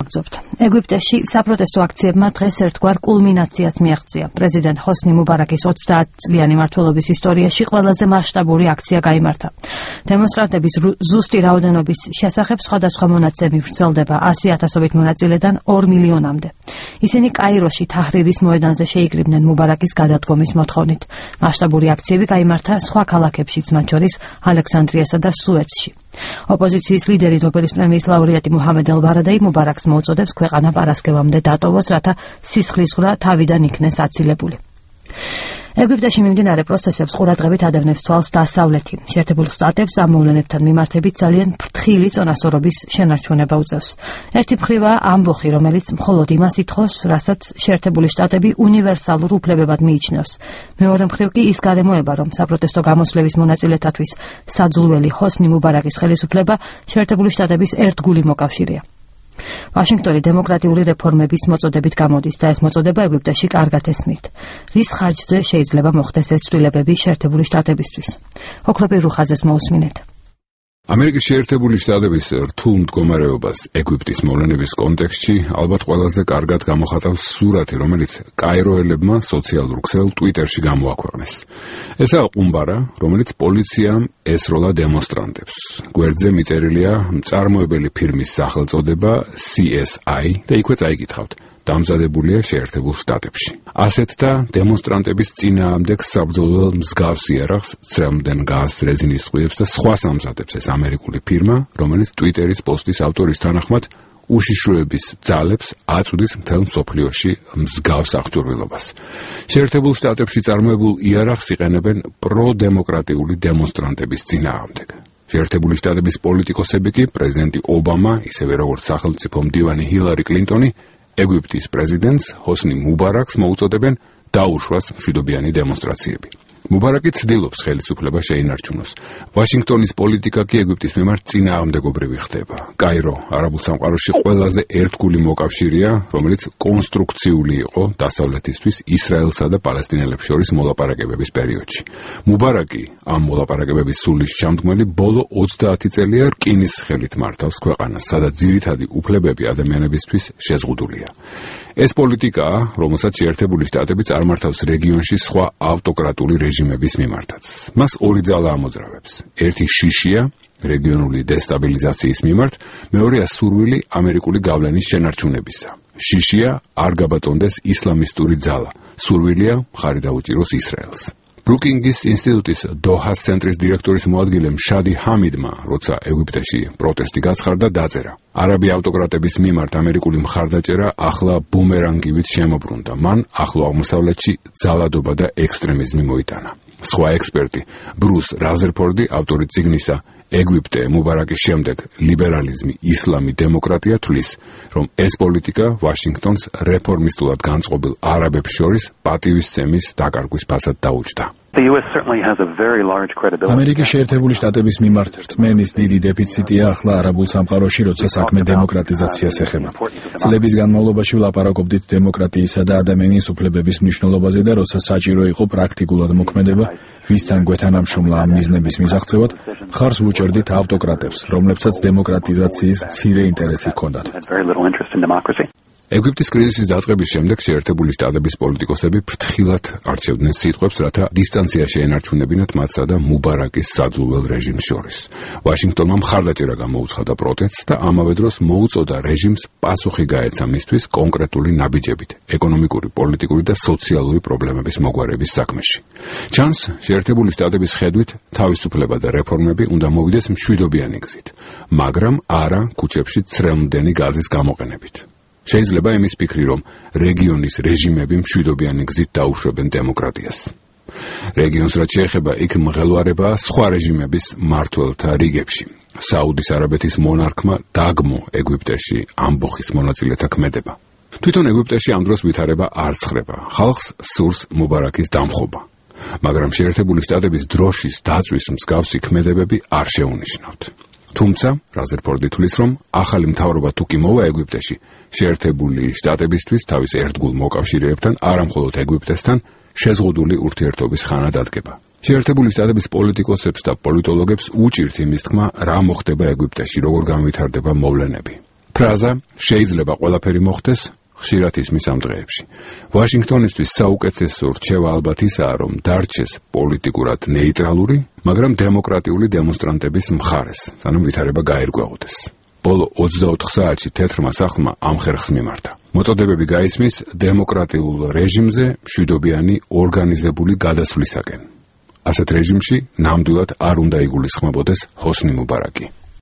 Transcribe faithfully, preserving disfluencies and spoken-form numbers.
მოგწობთ. ეგვიპტეში საპროტესტო აქციებმა დღეს ერთგვარ კულმინაციას მიაღწია. პრეზიდენტ ჰოსნი მუბარაკის ოცდაათწლიანი მმართველობის ისტორიაში ყველაზე მასშტაბური აქცია გაიმართა. დემონსტრანტების ზუსტი რაოდენობის შესახებ სხვადასხვა მონაცემები ვრცელდება ასი ათასობით მონაწილედან ორ მილიონამდე. ისინი კაიროში თაჰრირის მოედანზე შეიკრიბნენ მუბარაკის გადადგომის მოთხოვნით. მასშტაბური აქციები გაიმართა სხვა ქალაქებშიც, მათ შორის ალექსანდრიასა და სუეცში. ოპოზიციის ლიდერი ნობელის პრემიის ლაურეატი მუჰამედ ელ-ბარადაი მუბარაკს მოუწოდებს ქვეყანა პარასკევამდე დატოვოს, რათა სისხლისღვრა თავიდან იქნეს აცილებული. ეგვიპტეში მიმდინარე პროცესებს ყურადღებით ადევნებს თვალს დასავლეთი. შეერთებულ შტატებს ამ მოვლენებთან მიმართებით ძალიან ფრთხილი წონასწორობის შენარჩუნება უწევს. ერთი მხრივაა ამბოხი, რომელიც მხოლოდ იმას ითხოვს, რასაც შეერთებული შტატები უნივერსალურ უფლებებად მიიჩნევს. მეორე მხრივ კი ის გარემოება, რომ საპროტესტო გამოსვლების მონაწილეთათვის საძულველი ჰოსნი მუბარაკის ხელისუფლება შეერთებული შტატების ერთგული მოკავშირეა. ვაშინგტონი დემოკრატიული რეფორმების მოწოდებით გამოდის და ეს მოწოდება ეგვიპტეში კარგად ესმით. რის ხარჯზე შეიძლება მოხდეს ეს ცვლილებები შეერთებული შტატებისთვის? ოქროპირ რუხაძეს მოусმინეთ. ამერიკის შეერთებული შტატების რთულ მდგომარეობას ეგვიპტის მოვლენების კონტექსტში ალბათ ყველაზე კარგად გამოხატავს სურათი, რომელიც კაიროელებმა სოციალურ ქსელ ტვიტერში გამოაქვეყნეს. ესაა ყუმბარა, რომელიც პოლიციამ ესროლა დემონსტრანტებს. გვერდზე მიწერილია მწარმოებელი ფირმის სახელწოდება სი ეს აი და იქვე წაიკითხავთ. დამზადებულია შეერთებულ შტატებში. ასეთ და დემონსტრანტების წინააღმდეგ საბრძოლო მსგავს იარაღს, ცრემლიდან გაზს, რეზინის წყვილებს და სხვას ამზადებს ეს ამერიკული ფირმა, რომელიც ტვიტერის პოსტის ავტორის თანახმად უშიშროების ძალებს აწვდის მთელ მსოფლიოში მსგავს აღჭურვილობას. შეერთებულ შტატებში წარმოებულ იარაღს იყენებენ პროდემოკრატიული დემონსტრანტების წინააღმდეგ. შეერთებული შტატების პოლიტიკოსები კი პრეზიდენტი ობამა, ისევე როგორც სახელმწიფო მდივანი ჰილარი კლინტონი, ეგვიპტის პრეზიდენტს ჰოსნი მუბარაკს მოუწოდებენ დაუშვას მშვიდობიანი დემონსტრაციები. მუბარაკი ცდილობს ხელისუფლება შეინარჩუნოს. ვაშინგტონის პოლიტიკა კი ეგვიპტის მიმართ წინააღმდეგობრივი ხდება. კაირო არაბულ სამყაროში ყველაზე ერთგული მოკავშირეა, რომელიც კონსტრუქციული იყო დასავლეთისთვის ისრაელსა და პალესტინელებს შორის მოლაპარაკებების პერიოდში. მუბარაკი ამ მოლაპარაკებების სულის ჩამდგმელი ბოლო ოცდაათი წელია რკინის ხელით მართავს ქვეყანას, სადაც ძირითადი უფლებები ადამიანებისთვის შეზღუდულია. ეს პოლიტიკაა, რომელსაც შეერთებული შტატები წარმართავს რეგიონში სხვა ავტოკრატული რეჟიმების მიმართაც. მას ორი ძალა ამოძრავებს. ერთი შიშია რეგიონული დესტაბილიზაციის მიმართ, მეორეა სურვილი ამერიკული გავლენის შენარჩუნებისა. შიშია არ გაბატონდეს ისლამისტური ძალა, სურვილია მხარი დაუჭიროს ისრაელს. ბრუკინგის ინსტიტუტის დოჰას ცენტრის დირექტორის მოადგილემ შადი ჰამიდმა, როცა ეგვიპტეში პროტესტი გაცხარდა, დაწერა: არაბი ავტოკრატების მიმართ ამერიკული მხარდაჭერა ახლა ბუმერანგივით შემობრუნდა. მან ახლო აღმოსავლეთში ძალადობა და ექსტრემიზმი მოიტანა. სხვა ექსპერტი ბრუს რაზერფორდი, ავტორი წიგნისა ეგვიპტე მუბარაკის შემდეგ ლიბერალიზმი, ისლამი, დემოკრატია, თვლის, რომ ეს პოლიტიკა ვაშინგტონს რეფორმისტულად განწყობილ არაბებს შორის პატივისცემის დაკარგვის ფასად დაუჯდა. ამერიკის შეერთებული შტატების მიმართ რწმენის დიდი დეფიციტია ახლა არაბულ სამყაროში, როცა საქმე დემოკრატიზაციას ეხება. წლების განმავლობაში ვლაპარაკობდით დემოკრატიისა და ადამიანის უფლებების მნიშვნელობაზე და როცა საჭირო იყო პრაქტიკულად მოქმედება, ვისთან გვეთანამშრომლა ამ მიზნების მისაღწევად, მხარს ვუჭერდით ავტოკრატებს, რომლებსაც დემოკრატიზაციის მცირე ინტერესი ჰქონდათ. ეგვიპტის კრიზისის დაწყების შემდეგ შეერთებული შტატების პოლიტიკოსები ფრთხილად არჩევდნენ სიტყვებს, რათა დისტანცია შეენარჩუნებინათ მათსა და მუბარაკის საძულველ რეჟიმს შორის. ვაშინგტონმა მხარდაჭერა გამოუცხადა პროტესტს და ამავე დროს მოუწოდა რეჟიმს პასუხი გაეცა მისთვის კონკრეტული ნაბიჯებით ეკონომიკური, პოლიტიკური და სოციალური პრობლემების მოგვარების საქმეში. ჩანს, შეერთებული შტატების ხედვით თავისუფლება და რეფორმები უნდა მოვიდეს მშვიდობიანი გზით, მაგრამ არა ქუჩებში ცრემლდენი გაზის გამოყენებით. შეიძლება იმის ფიქრი, რომ რეგიონის რეჟიმები მშვიდობიანი გზით დაუშვებენ დემოკრატიას. რეგიონს რაც შეეხება, იქ მღელვარებაა სხვა რეჟიმების მმართველთა რიგებში. საუდის არაბეთის მონარქმა დაგმო ეგვიპტეში ამბოხის მონაწილეთა ქმედება. თვითონ ეგვიპტეში ამ დროს ვითარება არ ცხრება. ხალხს სურს მუბარაკის დამხობა. მაგრამ შეერთებული შტატების დროშის დაწვის მსგავსი ქმედებები არ შეუნიშნავთ. თუმცა, რაზერფორდი თვლის, რომ ახალი მთავრობა თუ კი მოვა ეგვიპტეში, შეერთებული შტატებისთვის თავის ერთგულ მოკავშირეებთან, არა მხოლოდ ეგვიპტესთან, შეზღუდული ურთიერთობის ხანა დადგება. შეერთებული შტატების პოლიტიკოსებს და პოლიტოლოგებს უჭირთ იმის თქმა, რა მოხდება ეგვიპტეში, როგორ განვითარდება მოვლენები. ფრაზა შეიძლება ყველაფერი მოხდეს ხშირად ისმის ამ დღეებში. ვაშინგტონისთვის საუკეთესო რჩევა ალბათ ისაა, რომ დარჩეს პოლიტიკურად ნეიტრალური, მაგრამ დემოკრატიული დემონსტრანტების მხარეს, სანამ ვითარება გაერკვეღოდეს. ბოლო ოცდაოთხ საათში თეთრმა სახლმა ამ ხერხს მიმართა. მოწოდებები გაისმის დემოკრატიულ რეჟიმზე მშვიდობიანი ორგანიზებული გადასვლისაკენ. ასეთ რეჟიმში ნამდვილად არ უნდა იგულისხმებოდეს ჰოსნი მუბარაკი.